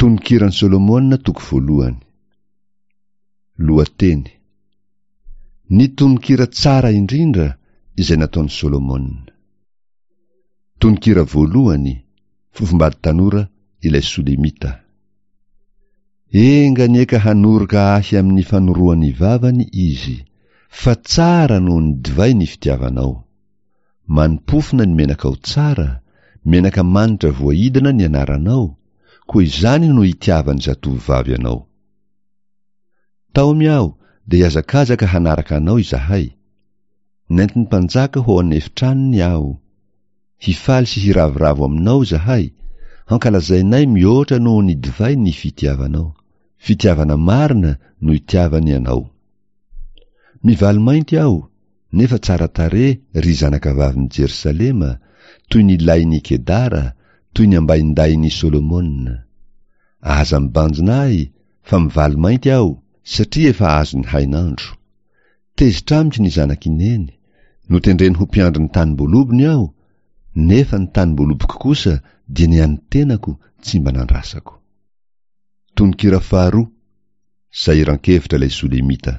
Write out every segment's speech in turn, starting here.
Tononkiran'i Solomona toko voalohany. Lohateny. Ny tononkira tsara indrindra izay nataon'i Solomona. Tononkira voalohany, Fofombady tanora ilay Solemita. Enga anie ka hanoroka ahy amin'ny fanoroan'ny vavany izy, fa tsara noho ny divay ny fitiavanao. Manimpofona ny menakao tsara, menaka manitra voaidina ny anaranao, koa izany no itiavan'ny zatovovavy anao. Taomy aho dia hihazakazaka hanaraka anao izahay. Nentin'ny mpanjaka ho ao an'efitranony aho. Hifaly sy hiravoravo aminao izahay, hankalazainay mihoatra noho ny divay ny fitiavanao. Fitiavana marina no itiavany anao. Mivalo-mainty aho, nefa tsara tarehy ry zanakavavin'i Jerosalema, toy ny lain'i Kedara, toy ny ambaindahin'i Solomona. Aza mibanjina ahy, fa mivalo-mainty aho, satria efa azon'ny hainandro. Tezitra amiko ny zanak'i Neny, notendreny ho mpiandry ny tanim-boalobony aho, nefa ny tanim-boaloboko kosa dia ny an'ny tenako tsy mba nandrasako. Tononkira faharoa, Sahiran-kevitra ilay Solemita.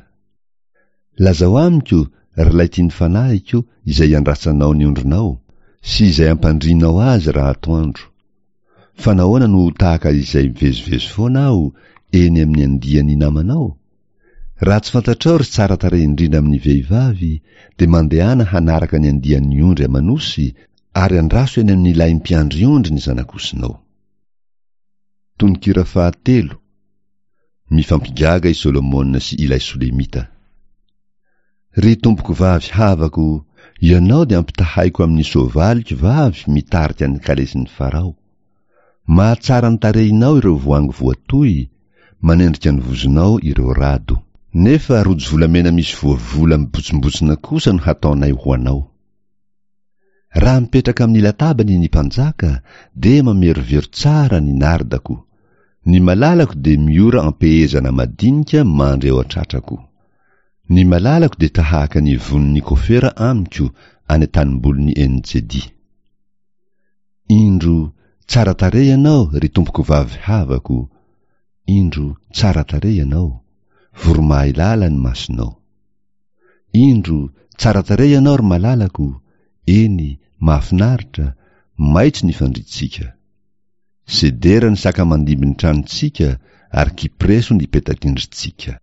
Lazao amiko, ry ilay tian'ny fanahiko, izay iandrasanao ny ondrinao, sy izay ampandrianao azy raha atoandro. Fa nahoana no ho tahaka izay mivezivezy foana aho eny amin'ny andian'ny namanao? Raha tsy fantatrao ry tsara tarehy indrindra amin'ny vehivavy, dia mandehana hanaraka ny andian'ny ondry aman'osy, ary andraso eny amin'ny lahim-piandry ondry ny zanak'osinao. Tononkira fahatelo, Mifampigaga i Solomona sy ilay Solemita. Ry tompokovavy havako, ianao dia ampitahaiko amin'ny soavaliko vavy mitarika ny kalesin'i Farao. Mahatsara ny tarehinao ireo voangy voatohy, manendrika ny vozonao ireo rado. Nefa rojo volamena misy voavola mibotsimbotsina kosa no hataonay ho anao. Raha mipetraka amin'ny latabany ny mpanjaka dia mamerovero tsara ny nardako. Ny malalako dia miora am-pehezana madinika mandry eo an-tratrako. Ny malalako dia tahaka ny vonin'ny kofera amiko any an-tanimbolin'i En-Jedi. Indro, tsara tarehy ianao, ry tompokovavy havako, indro, tsara tarehy ianao, voromahailala ny masonao. Indro, tsara tarehy ianao, ry malalako, eny, mahafinaritra, maitso ny fandrintsika. Sedera ny saka mandimby ny tranontsika ary kypreso ny petak'indrintsika.